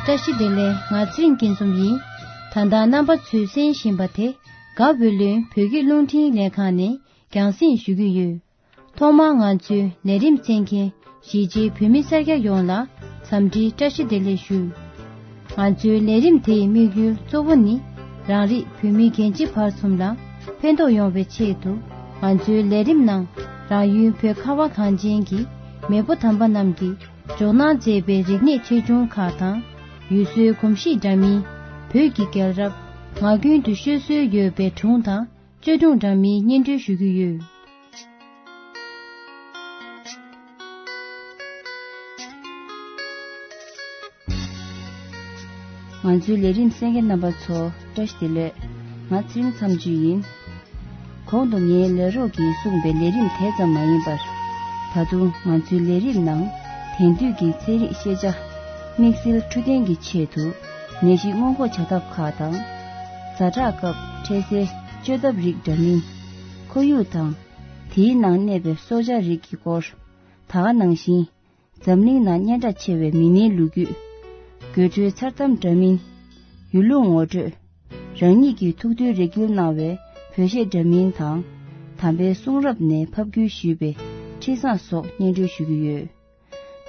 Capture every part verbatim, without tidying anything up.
བཀྲ་ཤིས་བདེ་ལེགས། ང་ཚེ་རིང་སྐྱིད་འཛོམས་ཡིན། ད་ལྟ་རྣམ་པ་ཚོས་གསན་བཞིན་པ་དེ་དགའ་བོད་ལུང་བོད་ཀྱི་རླུང་འཕྲིན་ལས་ཁང་ནས་རྒྱང་སྲིང་ཞུ་གི་ཡོད། ཐོག་མར་ང་ཚོའི་ལས་རིམ་གསན་མཁན་གཞིས་བྱེས་བོད་མི་སེར་སྐྱ་ཡོངས་ལ་འཚམས་འདྲིའི་བཀྲ་ཤིས་བདེ་ལེགས་ཞུ། ང་ཚོའི་ལས་རིམ་དེའི་དམིགས་ཡུལ་གཙོ་བོ་ནི་རང་རིགས་བོད་མི་རྒན་བྱིས་བར་གསུམ་ལ་ཕན་ཐོགས་ཡོང་བའི་ཆེད་དུ། ང་ཚོའི་ལས་རིམ་ནང་རང་ཡུལ་བོད་ཁ་བ་གངས་ཅན་གྱི་མེས་པོ་དམ་པ་རྣམས་ཀྱིས་འཇོག་གནང་མཛད་པའི་རིག་གནས་ཆེ་ཆུང་ཁག་དང་། ཡུལ་སྲོལ་གོམས་གཤིས་འདྲ་མིན། བོད་ཀྱི་རྒྱལ་རབས། ངག་རྒྱུན་དུ་ཤོད་སྲོལ་ཡོད་པའི་སྒྲུང་དང་། བརྩེ་དུང་འདྲ་མིན་སྙན་སྒྲོན་ཞུ་གི་ཡོད། ང་ཚོའི་ལས་རིམ་གསན་མཁན་རྣམ་པ་ཚོ་བཀྲ་ཤིས་བདེ་ལེགས། ང་ཚེ་རིང་མཚམས་གཅོད་ཡིན། གོང་དུ་ངའི་ལས་རོགས་ཀྱིས་གསུངས་པའི་ལས་རིམ་དེ་ཙམ་མ་ཡིན་པར། ད་དུང་ང་ཚོའི་ལས་རིམ་ནང་དེང་དུས་ཀྱི་ཚན་རིག་ཤེས་བྱ། དམིགས་བསལ་འཕྲོད་བསྟེན་གྱི་ཆེད་དུ་ནད་གཞི་སྔོན་འགོག་བྱ་ཐབས་ཁག་དང་། ཛ་དྲག་སྐབས་འཕྲལ་སེལ་བཅོས་ཐབས་རིགས་འདྲ་མིན། ཁོར་ཡུག་དང་། དེའི་ནང་གནས་པའི་སྲོག་ཆགས་རིགས་ཀྱི་སྐོར། ད་ག་ནང་བཞིན། འཛམ་གླིང་ནང་སྙན་གྲགས་ཆེ་བའི་མི་སྣའི་ལོ་རྒྱུས། དགོད་བྲོའི་མཚར་གཏམ་འདྲ་མིན། ཡུལ་ལུང་ངོ་སྤྲོད། རང་ཉིད་ཀྱི་ཐུགས་འདུན་རེ་སྐུལ་གནང་བའི་བོད་གཞས་འདྲ་མིན་དང་། དམ་པའི་གསུང་རབ་ནས་ཕབ་བསྒྱུར་ཞུས་པའི་འཕྲིན་བཟང་སོགས་སྙན་སྒྲོན་ཞུ་གི་ཡོད།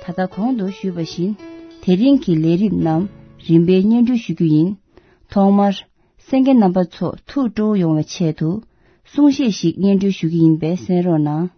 ད་ལྟ་གོང་དུ་ཞུས་པ་བཞིན། དེ་རིང་གི་ལས་རིམ་རྣམས་རིམ་པས་སྙན་སྒྲོན་ཞུ་རྒྱུ་ཡིན། ཐོག་མར། གསན་མཁན་རྣམ་པ་ཚོ་ཐུགས་སྤྲོ་བོ་ཡོང་བའི་ཆེད་དུ། གསུང་བཤད་ཞིག་སྙན་སྒྲོན་ཞུ་གི་ཡིན་པས་གསན་རོགས་གནང་།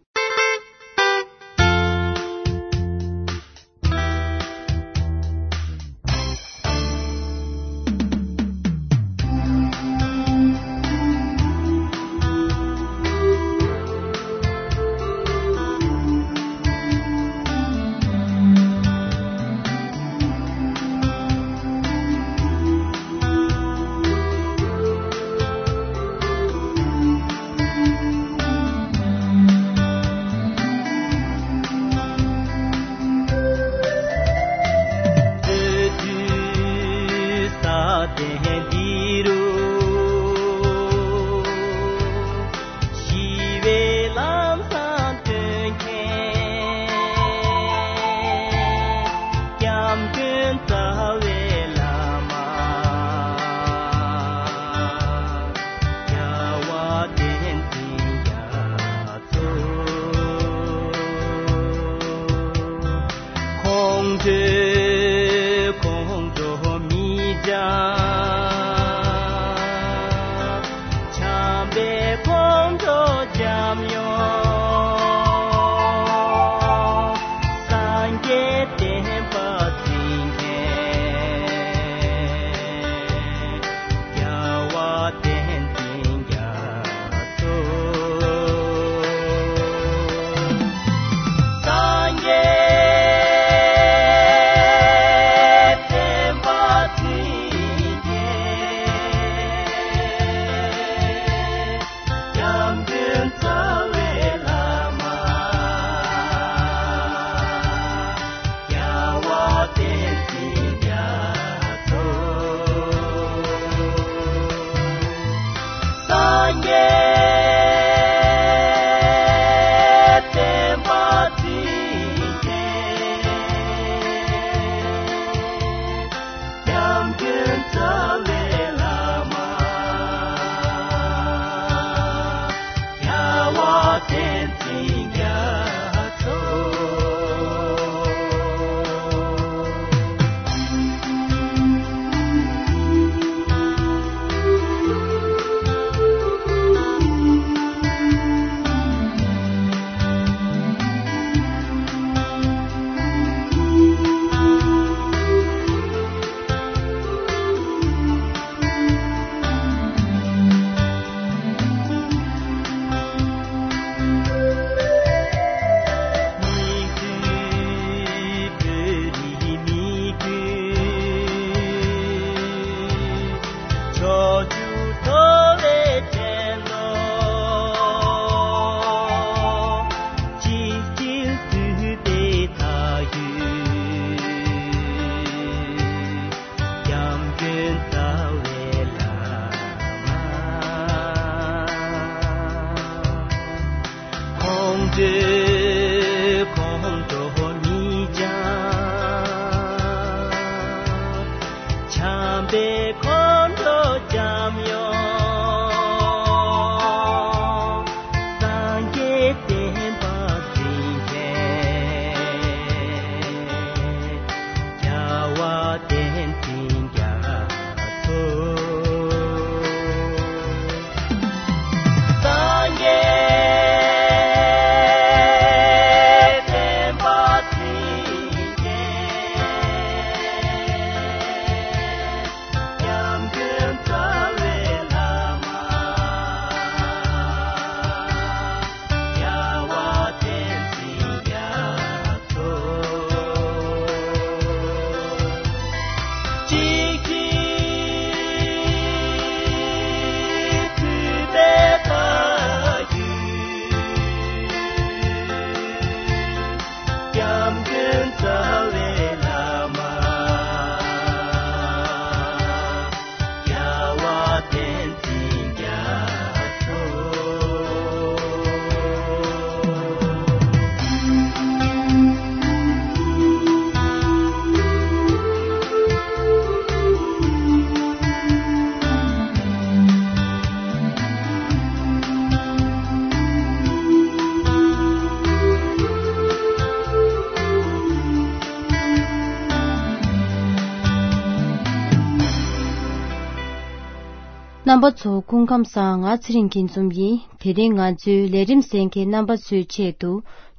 རྣམ་པ་ཚོ་སྐུ་ཁམས་བཟང་། ང་ཚེ་རིང་སྐྱིད་འཛོམས་ཡིན། དེ་རིང་ང་ཚོའི་ལས་རིམ་གསན་མཁན་རྣམ་པ་ཚོའི་ཆེད་དུ་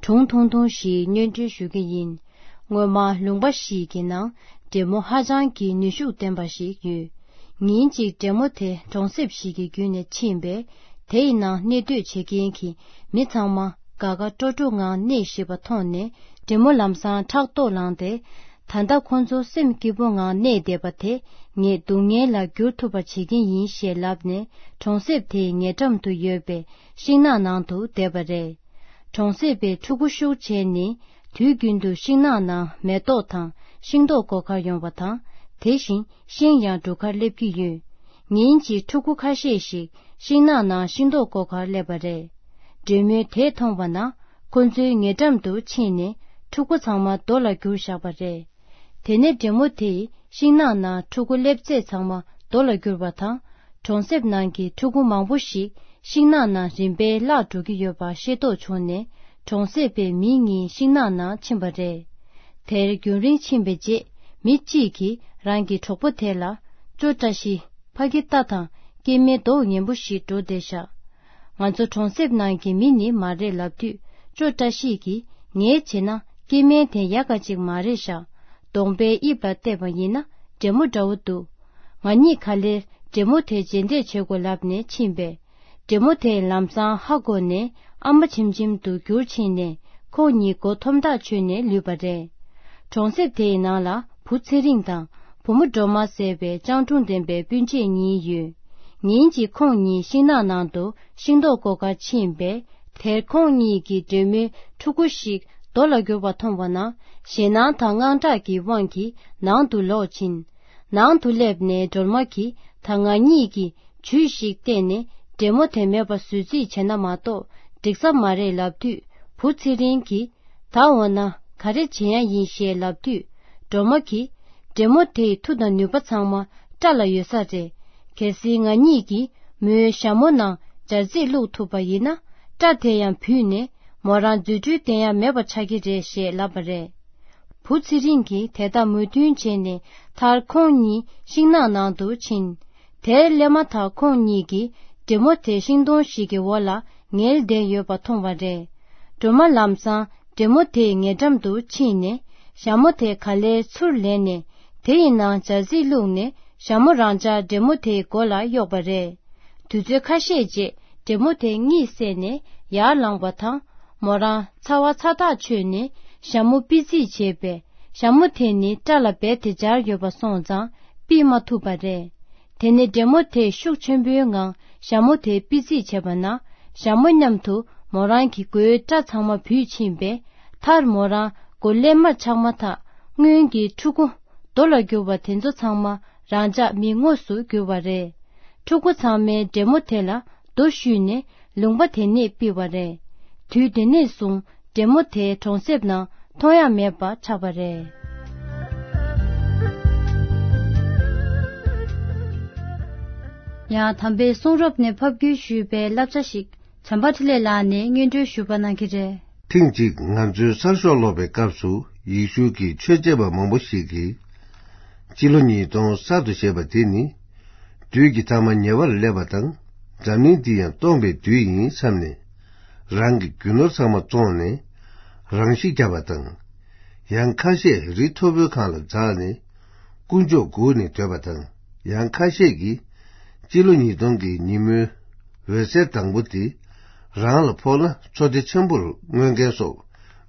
སྒྲུང་ཐུང་ཐུང་ཞིག་སྙན་སྒྲོན་ཞུ་གི་ཡིན། སྔོན་མ་ལུང་པ་ཞིག་གི་ནང་འདྲེ་མོ་ཧ་ཅང་གི་ནུས་ཤུགས་ལྡན་པ་ཞིག་ཡོད། ཉིན་གཅིག་འདྲེ་མོ་དེ་གྲོང་གསེབ་ཞིག་གི་བརྒྱུད་ནས་ཕྱིན་པས། དེ་ཡི་ནང་གནས་སྡོད་བྱེད་མཁན་གྱི་མི་ཚང་མ་དགའ་དགའ་སྤྲོ་སྤྲོ་ངང་གནས་བཞིན་པ་མཐོང་ནས། འདྲེ་མོ་ལམ་སང་ཕྲག་དོག་ལངས་ཏེ། ད་ལྟ་ཁོ་ཚོ་སེམས་སྐྱིད་པོ་ངང་གནས་བསྡད་པ་དེ་ངས་སྡུག་བསྔལ་ལ་བསྒྱུར་ཐུབ་པ་བྱེད་ཀྱི་ཡིན་ཞེས་ལབ་ནས། གྲོང་གསེབ་དེའི་ཉེ་འགྲམ་དུ་ཡོད་པའི་ཤིང་ནགས་ནང་དུ་བསྡད་པ་རེད། གྲོང་གསེབ་པའི་ཕྲུ་གུ་ཤུགས་ཆེ་ནི་དུས་རྒྱུན་དུ་ཤིང་ནགས་ནང་མེ་ཏོག་དང་ཤིང་ཏོག་སྐོར་གར་ཡོང་བ་དང་། དེ་བཞིན་ཤིང་ཡང་སྒྲུག་གར་སླེབས་ཀྱི་ཡོད། ཉིན་གཅིག་ཕྲུ་གུ་ཁ་ཤས་ཤིག་ཤིང་ནགས་ནང་ཤིང་ཏོག་སྐོར་གར་སླེབས་པ་རེད། འདྲེ་མོས་དེ་མཐོང་བ་ན། ཁོ་ཚོའི་ཉེ་འགྲམ་དུ་ཕྱིན་ནས་ཕྲུ་གུ་ཚང་མ་རྡོ་ལ་བསྒྱུར་བཞག་པ་རེད། དེ་ནས་འདྲེ་མོ་དེས་ཤིང་ནགས་ནང་ཕྲུ་གུ་སླེབས་ཚད་ཚང་མ་རྡོ་ལ་བསྒྱུར་བ་དང་། གྲོང་གསེབ་ནང་གི་ཕྲུ་གུ་མང་པོ་ཞིག་ཤིང་ནགས་ནང་རིམ་པས་བརླག་འགྲོ་གི་ཡོད་པ་ཤེས་རྟོགས་བྱུང་ནས། གྲོང་གསེབ་པའི་མི་གཉིས་ཤིང་ནགས་ནང་ཕྱིན་པ་རེད། དེར་རྒྱུན་རིང་ཕྱིན་པའི་རྗེས། མི་གཅིག་གིས་རང་གི་གྲོགས་པོ་དེ་ལ། ཅོ་བཀྲ་ཤིས། ཕ་གི་ལྟ་དང་། སྐྱེ་དམན་མདོག་ངན་པོ་ཞིག་འགྲོ་བསྡད་ཤག་ང་ཚོ་གྲོང་གསེབ་ནང་གི་མི་ནི་མ་རེད་ལབ་དུས། ཅོ་བཀྲ་ཤིས་ཀྱིས། ངས་བྱས་ན་སྐྱེ་དམན་དེ་ཡག་ག་ཅིག་མ་རེད་ཤག་གདོང་པའི་དབྱིབས་ལ་བལྟས་པ་ཡིན་ན་འདྲེ་མོ་འདྲ་བོ་འདུག་ང་གཉིས་ག་ལེར་འདྲེ་མོ་དེ་རྗེས་འདེད་བྱེད་དགོས་ལབ་ནས་ཕྱིན་པས། འདྲེ་མོ་དེས་ལམ་སང་ཧ་གོ་ནས་ཨ་མ་ཆེམ་ཆེམ་དུ་གྱུར་ཕྱིན་ནས། ཁོང་གཉིས་མགོ་འཐོམ་ཐག་ཆོད་ནས་ལུས་པ་རེད། གྲོང་གསེབ་དེའི་ནང་ལ་བུ་ཚེ་རིང་དང་བུ་མོ་སྒྲོལ་མ་ཟེར་བའི་སྤྱང་གྲུང་ལྡན་པའི་སྤུན་མཆེད་གཉིས་ཡོད། ཉིན་གཅིག་ཁོང་གཉིས་ཤིང་ནགས་ནང་དུ་ཤིང་ཏོག་བཀོག་གར་ཕྱིན་པས། དེར་ཁོང་གཉིས་ཀྱིས་འདྲེ་མོའི་ཕྲུ་གུ་ཞིག་རྡོ་ལ་བསྒྱུར་བ་མཐོང་བ་ན། ཞེད་སྣང་དང་དངངས་སྐྲག་གི་དབང་གིས་ནང་དུ་ལོག་ཕྱིན། ནང་དུ་སླེབས་ནས་སྒྲོལ་མ་གིས། ད་ང་གཉིས་ཀྱིས་ཇུས་ཤིག་བལྟས་ནས་འདྲེ་མོ་དེ་མེད་པ་བཟོ་རྩིས་བྱས་ན་མ་གཏོགས་འགྲིག་ས་མ་རེད་ལབ་དུས། བུ་ཚེ་རིང་གིས། ད་འོ་ན་ག་རེ་བྱེད་ཡ་ཡིན་ཞེས་ལབ་དུས། སྒྲོལ་མ་གིས། འདྲེ་མོ་དེའི་མཐུ་དང་ནུས་པ་ཚང་མ་སྐྲ་ལ་ཡོད་ས་རེད། གལ་སྲིད་ང་གཉིས་ཀྱིས་མོའི་ཞྭ་མོ་ནང་སྦྱར་རྩི་བླུགས་ཐུབ་པ་ཡིན་ན། སྐྲ་དེ་ཡང་བུད་ནས་མོ་རང་རྫུ་འཕྲུལ་བསྟན་ཡ་མེད་པ་ཆགས་ཀྱི་རེད་ཞེས་ལབ་པ་རེད། བུ་ཚེ་རིང་གིས་དེ་ལྟར་མོས་མཐུན་བྱས་ནས། མཐར་ཁོང་གཉིས་ཤིང་ནགས་ནང་དུ་ཕྱིན། དེར་སླེབས་མ་ཐག་ཁོང་གཉིས་ཀྱིས་འདྲེ་མོ་དེ་ཤིང་སྡོང་ཞིག་གི་འོག་ལ་ངལ་བསྡད་ཡོད་པ་མཐོང་བ་རེད། སྒྲོལ་མ་ལམ་སང་འདྲེ་མོ་དེའི་ཉེ་འགྲམ་དུ་ཕྱིན་ནས། ཞྭ་མོ་དེ་ག་ལེར་ཚུར་ལེན་ནས། དེ་ཡི་ནང་སྦྱར་རྩི་བླུགས་ནས། ཞྭ་མོ་རང་འཇགས་འདྲེ་མོ་དེའི་མགོ་ལ་གཡོགས་པ་རེད། དུས་ཚོད་ཁ་ཤས་རྗེས་འདྲེ་མོ་དེ་གཉིད་སད་ནས་ཡར་ལངས་པ་དང་། མོ་རང་ཚ་བ་ཚ་ཐག་ཆོད་ནས་ཞྭ་མོ་པི་རྩིས་བྱས་པས། ཞྭ་མོ་དེ་ནི་སྐྲ་ལ་རྦད་དེ་སྦྱར་ཡོད་པ་སོང་ཙང་པི་མ་ཐུབ་པ་རེད། དེ་ནས་འདྲེ་མོ་དེ་ཤུགས་ཆེན་པོའི་ངང་ཞྭ་མོ་དེ་པི་རྩིས་བྱས་པ་ན། ཞྭ་མོ་མཉམ་དུ་མོ་རང་གི་མགོའི་སྐྲ་ཚང་མ་བུད་ཕྱིན་པས། མཐར་མོ་རང་མགོ་ཀླད་མར་ཆག་མ་ཐག་སྔོན་གྱི་ཕྲུ་གུ་རྡོ་ལ་གྱུར་པ་དེ་ཚོ་ཚང་མ་རང་འཇགས་མི་དངོས་སུ་གྱུར་པ་རེད། ཕྲུ་གུ་ཚང་མས་འདྲེ་མོ་དེ་ལ་རྡོ་གཞུས་ནས་ལུང་པ་དེ་ནས་ཕུད་པ་རེད། དུས་དེ་ནས་བཟུང་འདྲེ་མོ་དེ་གྲོང་གསེབ་ནང་མཐོང་ཡ་མེད་པ་ཆགས་པ་རེད། ཡང་དམ་པའི་གསུང་རབ་ནས་ཕབ་བསྒྱུར་ཞུས་པའི་བསླབ་བྱ་ཞིག་བྱམས་པ་འཕྲིན་ལས་ལགས་ནས་སྙན་སྒྲོན་ཞུ་བ་གནང་གི་རེད། ཐེངས་གཅིག་ང་ཚོའི་གསར་ཤོག་ཀློག་པའི་སྐབས་སུ་ཡེ་ཤུ་གི་ཆོས་བྱེད་པ་མང་པོ་ཞིག་གིས། སྤྱི་ལོ་ཉིས་སྟོང་གསར་དུ་བཞད་པ་དེ་ནི། དུས་ཀྱི་ཐ་མ་ཉེ་བར་སླེབས་པ་དང་། འཛམ་གླིང་འདི་ཡང་སྟོངས་པའི་དུས་ཡིན་བསམ་ནས། རང་གི་རྒྱུ་ནོར་ཚང་མ་བཙོངས་ནས་རང་ཤི་བརྒྱབ་པ་དང་། ཡང་ཁ་ཤས་རི་མཐོ་པོའི་སྒང་ལ་འཛེགས་ནས་དཀོན་མཆོག་སྒུག་ནས་སྡོད་པ་དང་། ཡང་ཁ་ཤས་ཀྱིས་སྤྱི་ལོ་ཉིས་སྟོང་གི་ཉིན་མོའི་འོད་ཟེར་དང་པོ་དེ་རང་ལ་ཕོག་ན་ཚོར་སྣེ་ཆེན་པོར་མངོན་མཁན་སོགས་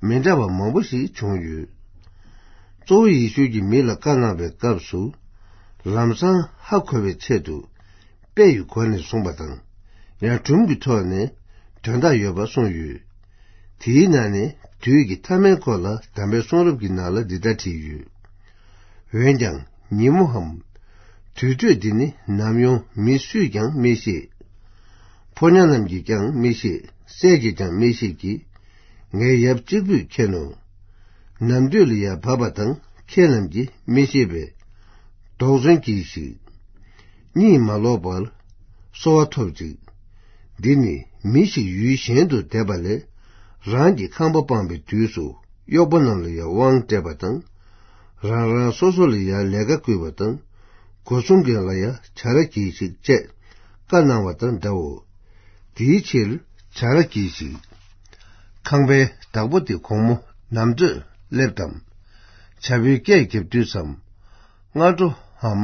མི་འདྲ་བ་མང་པོ་ཞིག་བྱུང་ཡོད། གཙོ་བོ་ཡེ་ཤུ་གིས་མི་ལ་བཀའ་གནང་བའི་སྐབས་སུ། ལམ་སང་ཧ་གོ་བའི་ཆེད་དུ། དཔེ་ཡི་སྒོ་ནས་གསུངས་པ་དང་། ཡང་སྒྲུང་གི་ཐོག་ནས་དོན་དག་ཡོད་པ་གསུངས་ཡོད། དེའི་ནང་ནས་དུས་ཀྱི་མཐའ་མའི་སྐོར་ལ་དམ་པའི་གསུང་རབ་ཀྱི་ནང་ལ་འདི་ལྟར་བྲིས་ཡོད། འོན་ཀྱང་ཉིན་མོའམ་དུས་ཚོད་འདི་ནི་ནམ་ཡང་མི་སུས་ཀྱང་མི་ཤེས། ཕོ་ཉ་རྣམས་ཀྱིས་ཀྱང་མི་ཤེས། སྲས་ཀྱིས་ཀྱང་མི་ཤེས་ཀྱི། ངའི་ཡབ་གཅིག་པུས་མཁྱེན་ནོ། ནམ་དུས་ལ་ཡར་བབས་པ་དང་ཁྱེད་རྣམས་ཀྱིས་མི་ཤེས་པས། དོགས་ཟོན་གྱིས་ཤིག། གཉིད་མ་ལོག་པར་གསོལ་བ་ཐོབ་ཅིག། འདི་ནི་མི་ཞིག་ཡུལ་གཞན་དུ་བསྡད་པ་ལས་རང་གི་ཁང་པ་སྤངས་པའི་དུས་སུ་གཡོག་པོ་རྣམས་ལ་ཡང་དབང་སྤྲད་པ་དང་། རང་རང་སོ་སོ་ལ་ཡང་ལས་ཀ་བསྐུལ་བ་དང་། སྒོ་སྲུང་མཁན་ལ་ཡང་བྱ་ར་གྱིས་ཤིག་ཅེས་ བཀའ་གནང་བ་དང་འདྲའོ། དེའི་ཕྱིར་བྱ་ར་གྱིས་ཤིག། ཁང་པའི་བདག་པོ་དེ་དགོང་མོ་ནམ་ཚོད་སླེབས་དམ། བྱ་བའི་སྐད་བརྒྱབ་དུས་སམ། སྔ་དྲོའམ་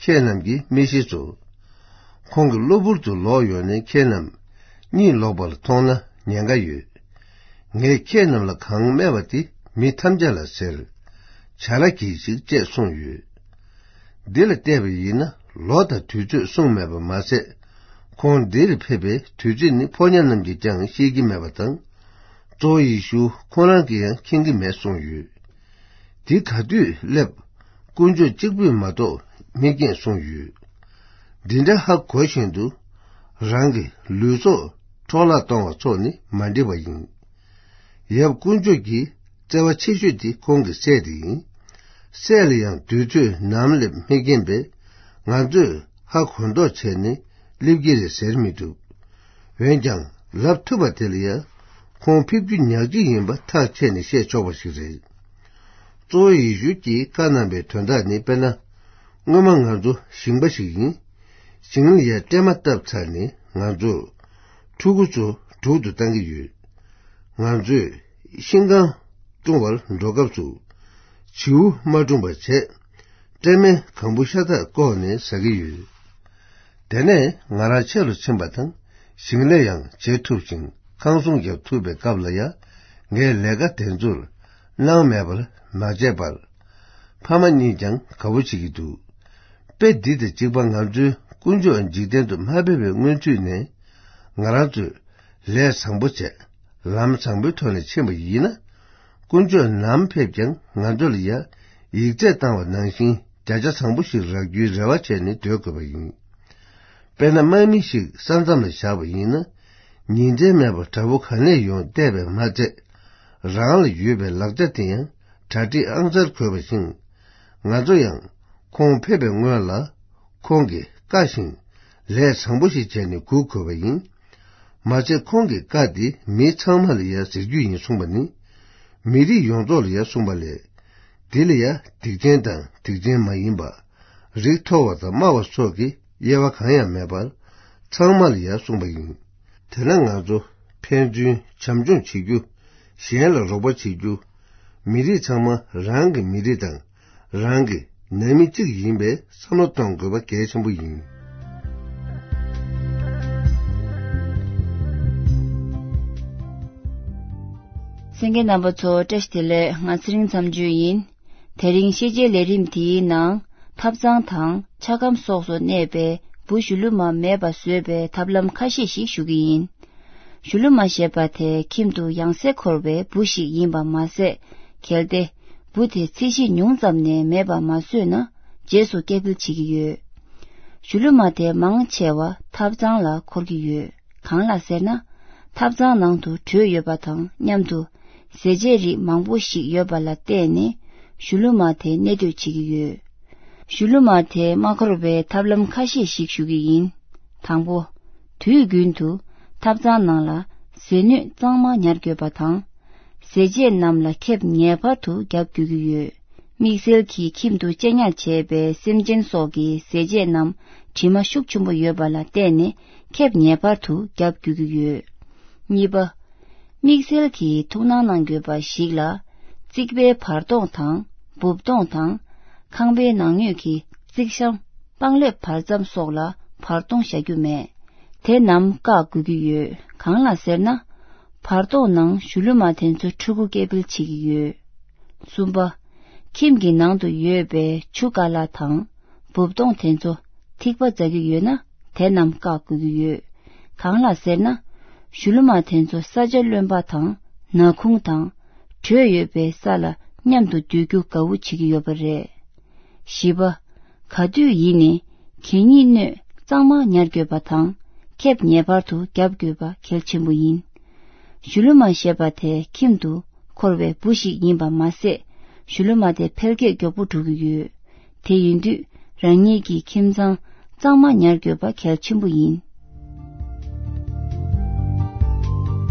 ཁྱེད་རྣམས་ཀྱིས་མི་ཤེས་སོ། ཁོང་གི་གློ་བུར་དུ་ལོག་ཡོང་ནས་ཁྱེད་རྣམས་གཉིད་ལོག་པར་མཐོང་ན་ཉེན་ཁ་ཡོད། ངས་ཁྱེད་རྣམས་ལ་གང་སྨྲས་པ་དེ་མི་ཐམས་ཅད་ལ་ཟེར། བྱ་ར་གྱིས་ཤིག་ཅེས་གསུངས་ཡོད། འདི་ལ་བལྟས་པ་ཡིན་ན་ལོ་དང་དུས་ཚོད་གསུངས་མེད་པ་མ་ཟད། ཁོང་འདིར་ཕེབས་པའི་དུས་ཚོད་ནི་ཕོ་ཉ་རྣམས་ཀྱིས་ཀྱང་ཤེས་ཀྱི་མེད་པ་དང་། གཙོ་བོ་ཡེ་ཤུ་ཁོང་རང་གིས་ཡང་མཁྱེན་གྱི་མེད་གསུངས་ཡོད། དེ་ག་དུས་སླེབས། དཀོན་མཆོག་གཅིག་པུས་མ་གཏོགས་མི་མཁྱེན་གསུངས་ཡོད། འདི་འདྲ་ཧ་གོ་བཞིན་དུ། རང་གི་ལུས་སྲོག་འཕྲོ་བརླག་གཏོང་བ་སོགས་ནི་མ་འགྲིག་པ་ཡིན། ཡབ་དཀོན་མཆོག་གི་བརྩེ་བ་ཆེ་ཤོས་དེ་ཁོང་གི་སྲས་དེ་ཡིན། སྲས་ལ་ཡང་དུས་ཚོད་ནམ་སླེབས་མི་མཁྱེན་པས། ང་ཚོས་ཧ་གོ་མདོག་བྱས་ནས་སླེབས་ཀྱི་རེད་ཟེར་མི་ཐུབ། འོན་ཀྱང་ལབ་ཐུབ་པ་དེ་ལ་ཡང་ཁོང་ཕེབས་རྒྱུ་ཉག་གཅིག་ཡིན་པ་ཐག་བཅད་ནས་བཤད་ཆོག་པ་ཞིག་རེད། གཙོ་བོ་ཡེ་ཤུ་གིས་བཀའ་གནང་པའི་དོན་དག་ནི། དཔེར་ན། སྔོན་མ་ང་ཚོ་ཞིང་པ་ཞིག་ཡིན། ཞིང་ལ་ཡ་སྲན་མ་བཏབ་ཚར་ནས་ང་ཚོར་ཕྲུ་གུ་ཚོ་དྲུག་ཏུ་བཏང་གི་ཡོད། ང་ཚོས་ཤིང་རྐང་བཀྲུང་བར་འགྲོ་སྐབས་སུ། བྱིའུ་མ་བཀྲུངས་པ་བྱས། སྲན་མའི་གང་བུ་ཤ་སྟག་བཀོག་ནས་ཟ་གི་ཡོད། དེ་ནས་ང་རང་ཆེ་རུ་ཕྱིན་པ་དང་ཞིང་ལས་ཡང་བྱེད་ཐུབ་ཅིང་ཁང་སྲུང་རྒྱག་ཐུབ་པའི་སྐབས་ལ་ཡང་ངའི་ལས་ཀ་དེ་ཚོར་སྣང་མེད་པར་མ་བྱས་པར། ཕ་མ་གཉིས་ཀྱང་དགའ་པོ་བྱེད་ཀྱི་འདུག། དཔེ་འདི་དང་གཅིག་པ་ང་ཚོའི་དཀོན་མཆོག་འཇིག་རྟེན་དུ་མ་ཕེབས་པའི་སྔོན་ཚུད་ནས་ང་རང་ཚོས་ལས་བཟང་པོ་བྱས། ལམ་བཟང་པོའི་ཐོག་ནས་ཕྱིན་པ་ཡིན་ན། དཀོན་མཆོག་ནམ་ཕེབས་ཀྱང་ང་ཚོ་ལ་ཡ་ཡིག་ཚད་བཏང་བ་ནང་བཞིན་བརྒྱ་ཆ་བཟང་པོ་ཞིག་རག་རྒྱུའི་རེ་བ་བྱས་ནས་སྡོད་དགོས་པ་ཡིན། དཔེར་ན་དམག་མི་ཞིག་ས་མཚམས་ལ་བཞག་པ་ཡིན་ན། ཉིན་མཚན་མེད་པར་དགྲ་བོ་ག་ནས་ཡོང་བལྟས་པས་མ་ཚད། རང་ལ་ཡོད་པའི་ལག་ཆ་དེ་ཡང་གྲ་སྒྲིག་ཨང་གསར་དགོས་པ་བཞིན། ང་ཚོ་ཡང་ཁོང་ཕེབས་པའི་སྔོན་ལ་ཁོང་གིས་བཀའ་བཞིན་ལས་བཟང་པོ་ཞིག་བྱས་ནས་སྒུག་དགོས་པ་ཡིན། མ་ཚད་ཁོང་གི་བཀའ་འདི་མི་ཚང་མ་ལ་ཡང་ཟེར་རྒྱུ་ཡིན་གསུངས་པ་ནི། མི་རིགས་ཡོངས་རྫོགས་ལ་ཡང་གསུངས་པ་ལས། འདི་ལ་ཡང་སྡིག་ཅན་དང་སྡིག་ཅན་མ་ཡིན་པ། རིགས་མཐོ་བ་དང་དམའ་བ་སོགས་ཀྱི་དབྱེ་བ་གང་ཡང་མེད་པར། ཚང་མ་ལ་ཡང་གསུངས་པ་ཡིན། དེས་ན་ང་ཚོ་ཕན་ཚུན་བྱམས་སྐྱོང་བྱེད་རྒྱུ། གཞན་ལ་རོགས་པ་བྱེད་རྒྱུ། མི་རིགས་ཚང་མ་རང་གི་མི་རིགས་དང་རང་གི་ནང་མི་གཅིག་ཡིན་པའི་བསམ་བློ་གཏོང་དགོས་པ་གལ་ཆེན་པོ་ཡིན། གསན་མཁན་རྣམ་པ་ཚོ་བཀྲ་ཤིས་བདེ་ལེགས། ང་ཚེ་རིང་མཚམས་གཅོད་ཡིན། དེ་རིང་ཤེས་བྱའི་ལས་རིམ་འདིའི་ནང་ཐབ་ཚང་དང་ཆ་སྒམ་སོགས་སུ་གནས་པའི་བུ་གཞུ་ལུ་མ་མེད་པ་བཟོས་པའི་ཐབས་ལམ་ཁ་ཤས་ཤིག་ཞུ་གི་ཡིན། གཞུ་ལུ་མ་ཞེས་པ་དེ་ཁྱིམ་དུ་ཡང་སེ་འཁོར་བའི་བུ་ཞིག་ཡིན་པ་མ་ཟད། གལ་ཏེ་བུ་དེ་ཚེ་གཞིས་ཉུང་ཙམ་ནས་མེད་པ་མ་བཟོས་ན་རྗེས་སུ་སྐྱེ་འཕེལ་བྱེད་ཀྱི་ཡོད། གཞུ་ལུ་མ་དེ་མང་ཆེ་བ་ཐབ་ཚང་ལ་འཁོར་གྱི་ཡོད། གང་ལ་ཟེར་ན། ཐབ་ཚང་ནང་དུ་དྲོད་ཡོད་པ་དང་མཉམ་དུ་ཟས་བཅད་རིགས་མང་པོ་ཞིག་ཡོད་པ་ལ་བརྟེན་ནས་གཞུ་ལུ་མ་དེ་གནས་སྡོད་བྱེད་ཀྱི་ཡོད། གཞུ་ལུ་མ་དེ་མ་འཁོར་བའི་ཐབས་ལམ་ཁ་ཤས་ཤིག་ཞུ་གི་ཡིན། དང་པོ། དུས་རྒྱུན་དུ་ཐབ་ཚང་ནང་ལ་ཟས་སྣོད་གཙང་མ་ཉར་དགོས་པ་དང་། ཟས་བཅད་རྣམས་ལ་ཁེབས་ངེས་པར་དུ་བརྒྱབ་དགོས་ཀྱི་ཡོད། དམིགས་བསལ་གྱིས་ཁྱིམ་དུ་གཅེས་ཉར་བྱས་པའི་སེམས་ཅན་སོགས་ཀྱི་ཟས་བཅད་རྣམས་དྲི་མ་ཤུགས་ཆེན་པོ་ཡོད་པ་ལ་བརྟེན་ནས་ཁེབས་ངེས་པར་དུ་བརྒྱབ་དགོས་ཀྱི་ཡོད། གཉིས་པ། དམིགས་བསལ་གྱིས་ཐུགས་སྣང་གནང་དགོས་པ་ཞིག་ལ། རྩིག་པའི་བར་སྟོང་དང་འབུབ་སྟོང་དང་། ཁང་པའི་ནང་ཉོས་ཀྱི་རྩིག་གཤམ་པང་ལེབ་བར་མཚམས་སོགས་ལ་བར་སྟོང་བཞག་རྒྱུ་མེད། དེ་རྣམས་བཀག་དགོས་ཀྱི་ཡོད། གང་ལ་ཟེར་ན། བར་སྟོང་ནང་གཞུ་ལུ་མ་དེ་ཚོ་ཕྲུ་གུ་སྐྱེ་འཕེལ་བྱེད་ཀྱི་ཡོད། གསུམ་པ། ཁྱིམ་གྱི་ནང་དུ་ཡོད་པའི་ཆུ་ཀ་ལ་དང་འབུབ་སྟོང་དེ་ཚོ་ཐིགས་པ་འཛག་གི་ཡོད་ན་དེ་རྣམས་བཀག་དགོས་ཀྱི་ཡོད། གང་ལ་ཟེར་ན། གཞུ་ལུ་མ་དེ་ཚོ་ས་ཆ་རློན་པ་དང་ནག་ཁུང་དང་དྲོད་ཡོད་པའི་ས་ལ་མཉམ་དུ་སྡོད་རྒྱུ་དགའ་བོ་བྱེད་ཀྱི་ཡོད་པ་རེད། བཞི་པ། ག་དུས་ཡིན་ནའི་གད་སྙིགས་སྣོད་གཙང་མ་ཉར་དགོས་པ་དང་ཁེབས་ངེས་པར་དུ་བརྒྱབ་དགོས་པ་གལ་ཆེན་པོ་ཡིན། གཞུ་ལུ་མ་ཞེས་པ་དེ་ཁྱིམ་དུ་འཁོར་བའི་བུ་ཞིག་ཡིན་པ་མ་ཟད། གཞུ་ལུ་མ་དེ་འཕེལ་རྒྱས་མགྱོགས་པོ་འགྲོ་གི་ཡོད། དེ་ཡིན་དུས་རང་ཉིད་ཀྱི་ཁྱིམ་ཚང་གཙང་མ་ཉར་དགོས་པ་གལ་ཆེན་པོ་ཡིན།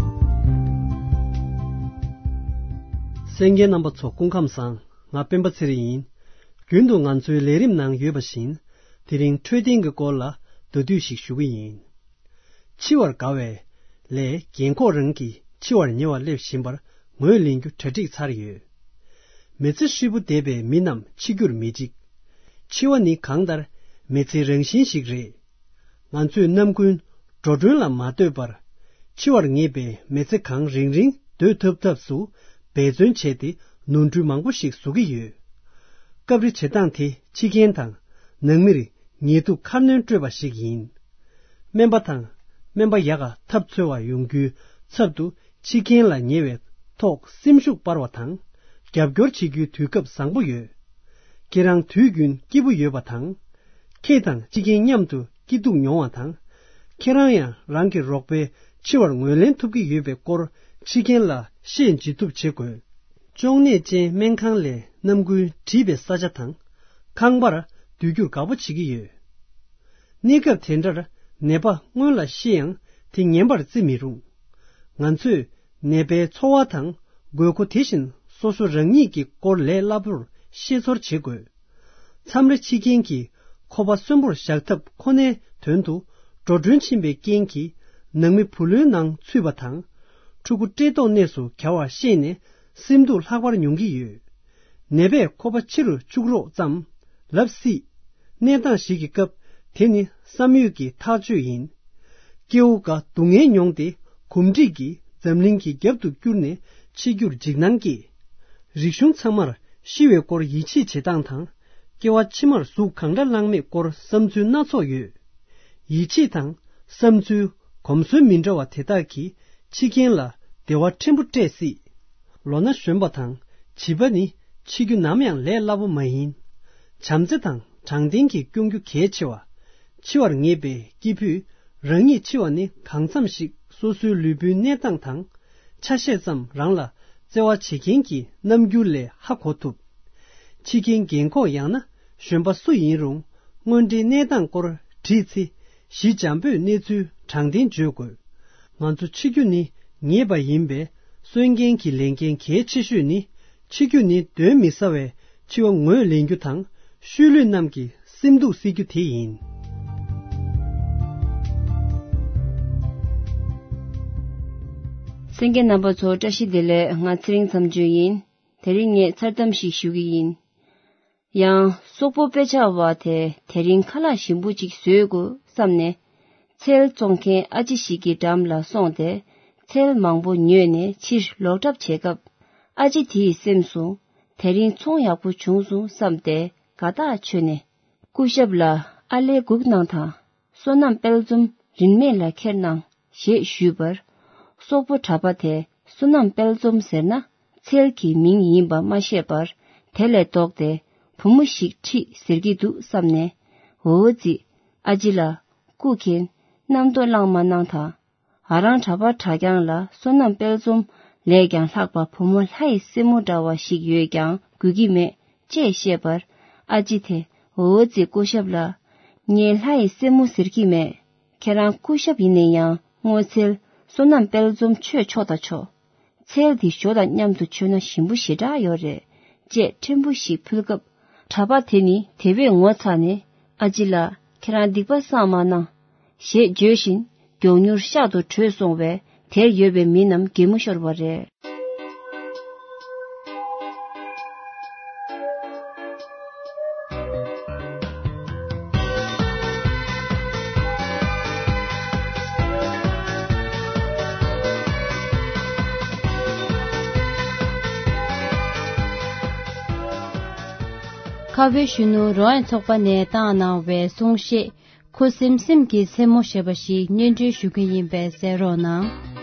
གསན་མཁན་རྣམ་པ་ཚོ་སྐུ་ཁམས་བཟང་། ང་སྤེན་པ་ཚེ་རིང་ཡིན། རྒྱུན་དུ་ང་ཚོའི་ལས་རིམ་ནང་ཡོད་པ་བཞིན། དེ་རིང་འཕྲོད་བསྟེན་གྱི་སྐོར་ལ་ མདོར་བསྡུས་ཤིག་ཞུ་གི་ཡིན། འཆི་བར་དགའ་བའི་ལས་རྒན་འཁོགས་རང་གིས་འཆི་བར་ཉེ་བར་སླེབས་བཞིན་པར་ངོས་ལེན་རྒྱུ་གྲ་སྒྲིག་ཚར་ཡོད། མི་ཚེ་ཧྲིལ་པོ་འདས་པའི་མི་རྣམས་འཆི་རྒྱུར་མི་འཇིགས། འཆི་བ་ནི་གང་ལྟར་མི་ཚེའི་རང་བཞིན་ཞིག་རེད། ང་ཚོས་ནམ་རྒྱུན་འགྲོ་གྲོན་ལ་མ་ལྟོས་པར། འཆི་བར་ངེས་པའི་མི་ཚེ་གང་རིང་རིང་སྡོད་ཐུབ་ཐབས་སུ་འབད་བརྩོན་བྱས་ཏེ་ནོར་འཁྲུལ་མང་པོ་ཞིག་བཟོ་གི་ཡོད། སྐབས་རེ་བྱེད་སྟངས་དེ་འཆི་རྐྱེན་དང་ནང་མིར་ཉེས་འདུག་ཁ་སྣོན་སྤྲོད་པ་ཞིག་ཡིན། སྨན་པ་དང་སྨན་པ་ཡག་ག་ཐབས་འཚོལ་བ་ཡོང་རྒྱུའི་ཚབ་ཏུ་འཆི་རྐྱེན་ལ་ཉེ་བའི་ཐོག་སེམས་ཤུགས་སྤར་བ་དང་རྒྱབ་སྐྱོར་བྱེད་རྒྱུའི་དུས་སྐབས་བཟང་པོ་ཡོད། ཁྱེད་རང་དུས་རྒྱུན་སྐྱིད་པོ་ཡོད་པ་དང་། ཁྱེད་དང་འཆི་རྐྱེན་མཉམ་དུ་སྐྱིད་སྡུག་མྱོང་བ་དང་། ཁྱེད་རང་ཡང་རང་གི་རོགས་པའི་འཆི་བར་ངོས་ལེན་ཐུབ་ཀྱི་ཡོད་པའི་སྐོར་འཆི་རྐྱེན་ལ་བཤད་འཇལ་ཐུབ་བྱེད་དགོས། གཅོང་ནད་ཅན་སྨན་ཁང་ལས་རྣམ་ཀུན་བྲིས་པའི་ས་ཆ་དང་ཁང་པར་སྡོད་རྒྱུར་དགའ་པོ་བྱེད་ཀྱི་ཡོད། གནས་སྐབས་དེ་འདྲར་ནད་པ་སྔོན་ལ་ཤི་ཡང་དེ་ངན་པར་བརྩི་མི་རུང་། ང་ཚོས་ནད་པའི་འཚོ་བ་དང་དགོས་མཁོ་དེ་བཞིན་སོ་སོ་རང་ཉིད་ཀྱི་སྐོར་ལས་སླ་པོར་ཤེས་ཚོར་བྱེད་དགོས། མཚམས་རེ་འཆི་རྐྱེན་གྱིས་ཁོ་པ་གསོན་པོར་བཞག་ཐབས་ཁོ་ནའི་དོན་དུ་འགྲོ་གྲོན་ཕྱིན་པའི་རྐྱེན་གྱིས་ནང་མི་བུ་ལོན་ནང་ཚུད་པ་དང་། ཕྲུ་གུ་བཀྲེས་ལྟོགས་གནས་སུ་གྱར་བ་ཤེས་ནས་སེམས་སྡུག་ལྷག་པར་མྱོང་གི་ཡོད། ནད་པས་ཁོ་པ་འཆི་རུ་བཅུག་རོགས་ཙམ་ལབ་སྲིད། གནས་སྟངས་ཤིག་གི་སྐབས་དེ་ནི་བསམ་ཡོད་ཀྱི་ཐག་གཅོད་ཡིན། སྐྱེ་བོ་འགའ་སྡུག་བསྔལ་མྱོང་སྟེ་གོམས་འདྲིས་ཀྱིས་འཛམ་གླིང་གི་རྒྱབ་ཏུ་བསྐྱུར་ནས་འཆི་རྒྱུར་འཇིགས་སྣང་སྐྱེས། རིག་གཞུང་ཚང་མར་ཤི་བའི་སྐོར་ཡིད་ཆེས་བྱེད་སྟངས་དང་། སྐྱེ་བ་ཕྱི་མར་གཟུགས་གང་འདྲ་བླངས་མེད་སྐོར་བསམ་ཚུལ་སྣ་ཚོགས་ཡོད། ཡིད་ཆེས་དང་བསམ་ཚུལ་གོམས་སྲོལ་མི་འདྲ་བ་དེ་དག་གིས་འཆི་རྐྱེན་ལ་བདེ་བ་ཕྲན་བུ་སྤྲད་སྲིད། ལོ་ན་གཞོན་པ་དང་བྱིས་པ་ནི་འཆི་རྒྱུ་ནམ་ཡང་ལས་སླ་པོ་མ་ཡིན། བྱམས་བརྩེ་དང་དྲང་བདེན་གྱིས་སྐྱོང་རྒྱུ་གལ་ཆེ་བ། འཆི་བར་ངེས་པའི་སྐྱེས་བུས་རང་ཉིད་འཆི་བ་ནི་གང་འཚམ་ཞིག་སོ་སོའི་ལུས་པོའི་གནས་སྟངས་དང་ཆ་ཤས་ཙམ་རང་ལ་བརྩེ་བ་བྱེད་མཁན་གྱི་རྣམ་འགྱུར་ལས་ཧ་གོ་ཐུབ། འཆི་རྐྱེན་རྒན་འཁོགས་ཡང་ན་གཞོན་པ་སུ་ཡིན་རུང་དངོས་འབྲེལ་གནས་སྟངས་སྐོར་དྲིས་ཚེ་ཞི་འཇམ་པོས་གནས་ཚུལ་དྲང་བདེན་བརྗོད་དགོས། ང་ཚོ་འཆི་རྒྱུ་ནི་ངེས་པ་ཡིན་པས་གསོན་རྒན་གྱི་ལས་འགན་གལ་ཆེ་ཤོས་ནི། འཆི་རྒྱུ་ནི་གདོན་མི་ཟ་བས་འཆི་བ་ངོས་ལེན་རྒྱུ་དང་ཤུལ་ལུས་རྣམས་ཀྱི་སེམས་སྡུག་སེལ་རྒྱུ་དེ་ཡིན། གསན་མཁན་རྣམ་པ་ཚོ་བཀྲ་ཤིས་བདེ་ལེགས། ང་ཚེ་རིང་མཚམས་གཅོད་ཡིན། དེ་རིང་ངས་མཚར་གཏམ་ཞིག་ཞུ་གི་ཡིན། ཡང་སོག་པོ་དཔེ་ཆ་བ་དེ་དེ་རིང་ཁ་ལག་ཞིམ་པོ་ཅིག་བཟོས་དགོས་བསམ་ནས། ཚལ་བཙོང་མཁན་ཨ་ཅེ་ཞིག་གི་འགྲམ་ལ་སོང་སྟེ་ཚལ་མང་པོ་ཉོས་ནས་ཕྱིར་ལོག་གྲབས་བྱེད་སྐབས། ཨ་ཅེ་དེའི་སེམས་སུ་དེ་རིང་ཚོང་ཡག་པོ་བྱུང་སོང་བསམ་སྟེ་དགའ་ཐག་ཆོད་ནས། སྐུ་ཞབས་ལ་ཨ་ལས་སྒུག་གནང་དང་། བསོད་ནམས་དཔལ་འཛོམས་རིན་མེད་ལ་ཁྱེར་གནང་ཞེས་ཞུས་པར། སོག་པོ་གྲྭ་པ་དེ་བསོད་ནམས་དཔལ་འཛོམས་ཟེར་ན་ཚལ་གྱི་མིང་ཡིན་པ་མ་ཤེས་པར། དེ་ལས་ལྡོག་སྟེ་བུ་མོ་ཞིག་ཁྲིད་ཟེར་གྱི་འདུག་བསམ་ནས། འོ་ཙི། ཨ་ཅེ་ལགས། སྐུ་མཁྱེན། རྣམ་རྟོག་བླངས་མ་གནང་དང་། ང་རང་གྲྭ་པ་གྲྭ་རྐྱང་ལ་བསོད་ནམས་དཔལ་འཛོམས་ལས་ཀྱང་ལྷག་པ་བུ་མོ་ལྷ་ཡི་སྲས་མོ་འདྲ་བ་ཞིག་ཡོད་ཀྱང་དགོས་ཀྱི་མེད་ཅེས་བཤད་པར། ཨ་ཅེ་དེ། འོ་ཙི་སྐུ་ཞབས་ལགས། ངས་ལྷ་ཡི་སྲས་མོ་ཟེར་གྱི་མེད། ཁྱེད་རང་སྐུ་ཞབས་ཡིན་ན་ཡང་སྔོ་ཚལ་བསོད་ནམས་དཔལ་འཛོམས་མཆོད་ཆོག་དང་ཆོག་ཚལ་འདི་ཞོ་དང་མཉམ་དུ་མཆོད་ན་ཞིམ་པོ་ཞེ་དྲག་ཡོད་རེད། ཅེས་ཕྲན་བུ་ཞིག་ཕུལ་སྐབས། གྲྭ་པ་དེ་ནི་དེ་བས་ངོ་ཚ་ནས། ཨ་ཅེ་ལགས། ཁྱེད་རང་སྡིག་པ་བསགས་མ་གནང་། ཞེས་བརྗོད་བཞིན་མགྱོགས་མྱུར་ཤག་ཏུ་བྲོས་སོང་བས། དེར་ཡོད་པའི་མི་རྣམས་གད་མོ་ཤོར་བ་རེད། ཁ་བའི་གཞོན་ནུ་རོ་ཨན་ཚོགས་པ་ནས་བཏང་གནང་བའི་གསུང་བཤད། ཁུ་སིམ་སིམ་གྱི་མཚན་མོ་ཞེས་པ་ཞིག་སྙན་སྒྲོན་ཞུ་གི་ཡིན་པས་གསན་རོགས་གནང་།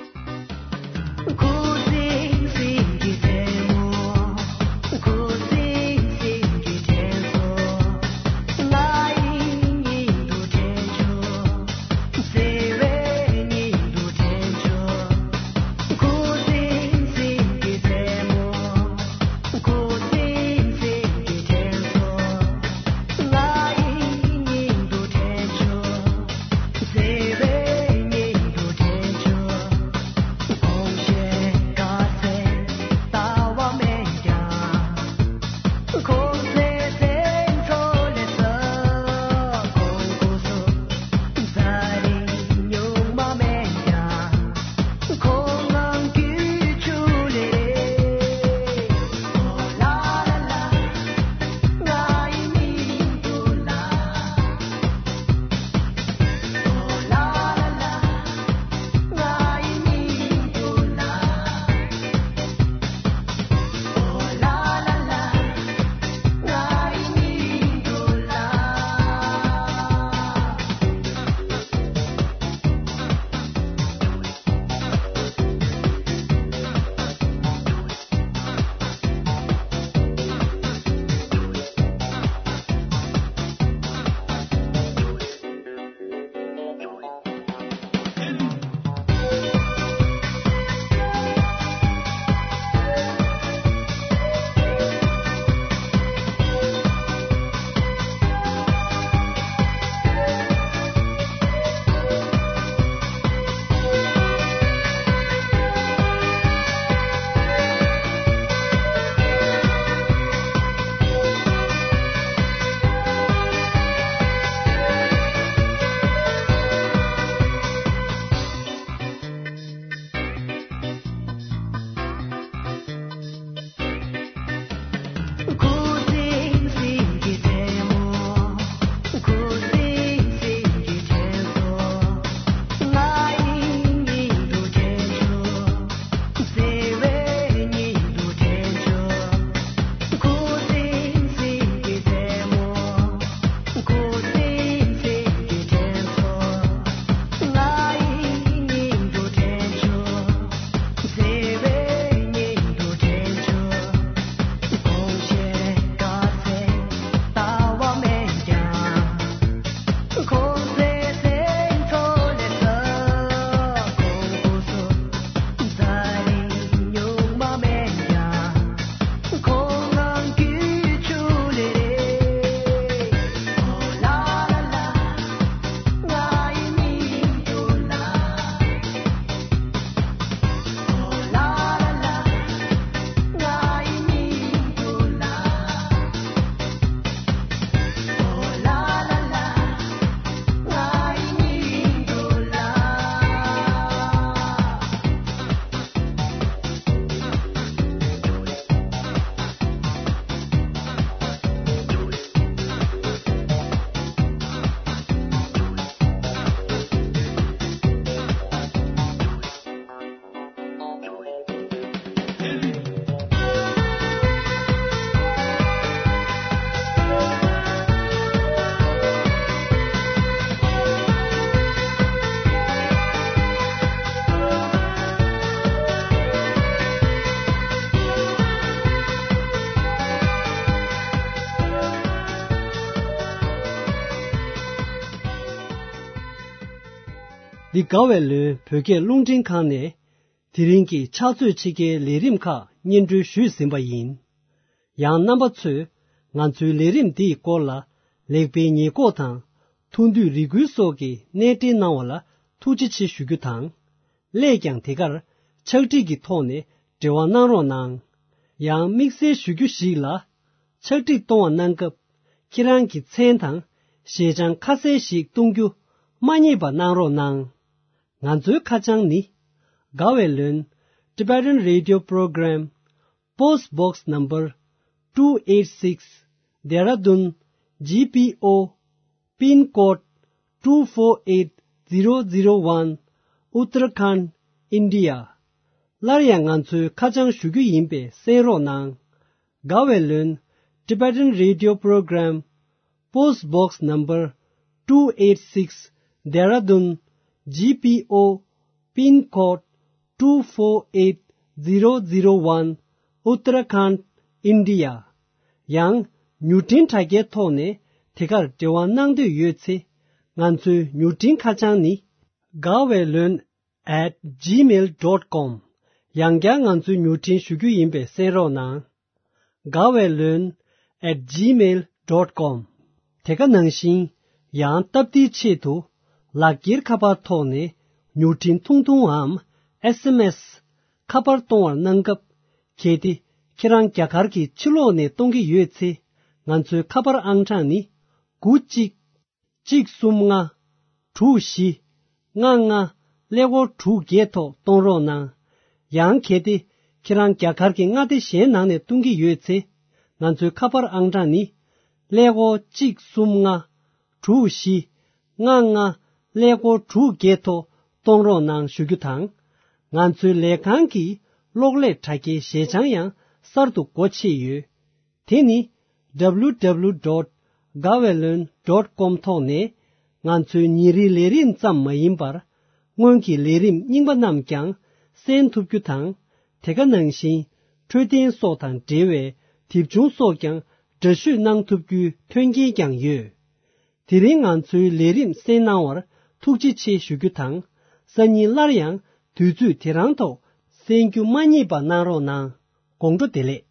འདི་དགའ་བའི་ལོན་བོད་སྐད་རླུང་འཕྲིན་ཁང་ནས་དེ་རིང་གི་ཕྱག་ཚོད་ཕྱེད་ཀའི་ལས་རིམ་ཁག་སྙན་སྒྲོན་ཞུས་ཟིན་པ་ཡིན། ཡང་རྣམ་པ་ཚོས་ང་ཚོའི་ལས་རིམ་འདིའི་སྐོར་ལ་ལེགས་སྤེལ་ཉེས་འགོག་དང་ཐུགས་འདོད་རེ་སྐུལ་སོགས་ཀྱི་གནས་འབྲེལ་གནང་བ་ལ་ཐུགས་རྗེ་ཆེ་ཞུ་རྒྱུ་དང་། སླད་ཀྱང་དེ་གར་ཕྱག་བྲིས་ཀྱི་ཐོག་ནས་འབྲེལ་བ་གནང་རོགས་གནང་། ཡང་དམིགས་བསལ་ཞུ་རྒྱུ་ཞིག་ལ། ཕྱག་བྲིས་གཏོང་བ་གནང་སྐབས་ཁྱེད་རང་གི་མཚན་དང་ཞལ་བྱང་ཁ་གསལ་ཞིག་གཏོང་རྒྱུ་མ་བསྙེལ་བ་གནང་རོགས་གནང་། ང་ཚོའི་ཁ་བྱང་ནི། དགའ་བའི་ལོན། Tibetan Radio Program, Post Box Number two eight six, Dehradun G P O, Pin Code two four eight zero zero one, Uttarakhand, India. སླར་ཡང་ང་ཚོའི་ཁ་བྱང་ཞུ་རྒྱུ་ཡིན་པས་གསན་རོགས་གནང་། དགའ་བའི་ལོན། Tibetan Radio Program, Post Box Number two eight six, Dehradun G P O, Pin Code two four eight zero zero one, Uttarakhand, India. ཡང་མྱུར་འཕྲིན་དྲ་རྒྱའི་ཐོག་ནས་དེ་གར་འབྲེལ་བ་གནང་འདོད་ཡོད་ཚེ། ང་ཚོའི་མྱུར་འཕྲིན་ཁ་བྱང་ནི། དགའ་བའི་ལོན། at gmail dot com། ཡང་བསྐྱར་ང་ཚོའི་མྱུར་འཕྲིན་ཞུ་རྒྱུ་ཡིན་པས་གསན་རོགས་གནང་། དགའ་བའི་ལོན། at gmail dot com། དེ་ག་ནང་བཞིན་ཡང་སྟབས་བདེའི་ཆེད་དུ་ལག་འཁྱེར་ཁ་པར་ཐོག་ནས་མྱུར་འཕྲིན་ཐུང་ཐུང་འམ་S M S ཁ་པར་གཏོང་བར་གནང་སྐབས། གལ་ཏེ་ཁྱེད་རང་རྒྱ་གར་གྱི་ཕྱི་ལོགས་ནས་གཏོང་གི་ཡོད་ཚེ། ང་ཚོའི་ཁ་པར་ཨང་གྲངས་ནི། དགུ་གཅིག་གཅིག་གསུམ་ལྔ། དྲུག་བཞི། ལྔ་ལྔ། ཀླད་ཀོར་དྲུག་བརྒྱད་ཐོག་གཏོང་རོགས་གནང་། ཡང་གལ་ཏེ་ཁྱེད་རང་རྒྱ་གར་གྱི་མངའ་སྡེ་གཞན་ནང་ནས་གཏོང་གི་ཡོད་ཚེ། ང་ཚོའི་ཁ་པར་ཨང་གྲངས་ནི། ཀླད་ཀོར་གཅིག་གསུམ་ལྔ། དྲུག་བཞི། ལྔ་ལྔ། ཀླད་ཀོར་དྲུག་བརྒྱད་ཐོག་གཏོང་རོགས་གནང་ཞུ་རྒྱུ་དང་། ང་ཚོའི་ལས་ཁང་གི་གློག་ཀླད་དྲ་རྒྱའི་ཞལ་བྱང་ཡང་གསར་དུ་སྒོ་ཕྱེ་ཡོད། དེ་ནི། W W W dot gaweylon dot com ཐོག་ནས་ང་ཚོའི་ཉིན་རེའི་ལས་རིམ་ཙམ་མ་ཡིན་པར། སྔོན་གྱི་ལས་རིམ་རྙིང་པ་རྣམས་ཀྱང་གསན་ཐུབ་རྒྱུ་དང་། དེ་ག་ནང་བཞིན་འཕྲོད་བསྟེན་སོགས་དང་འབྲེལ་བའི་དེབ་ཆུང་སོགས་ཀྱང་འདྲ་བཤུས་གནང་ཐུབ་རྒྱུའི་མཐུན་རྐྱེན་ཀྱང་ཡོད། དེ་རིང་ང་ཚོའི་ལས་རིམ་གསན་གནང་བར་ཐུགས་རྗེ་ཆེ་ཞུ་རྒྱུ་དང་། སང་ཉིན་སླར་ཡང་དུས་ཚོད་དེ་རང་ཐོག་གསན་རྒྱུ་མ་བསྙེལ་བ་གནང་རོགས་གནང་། དགོང་དྲོ་བདེ་ལེགས།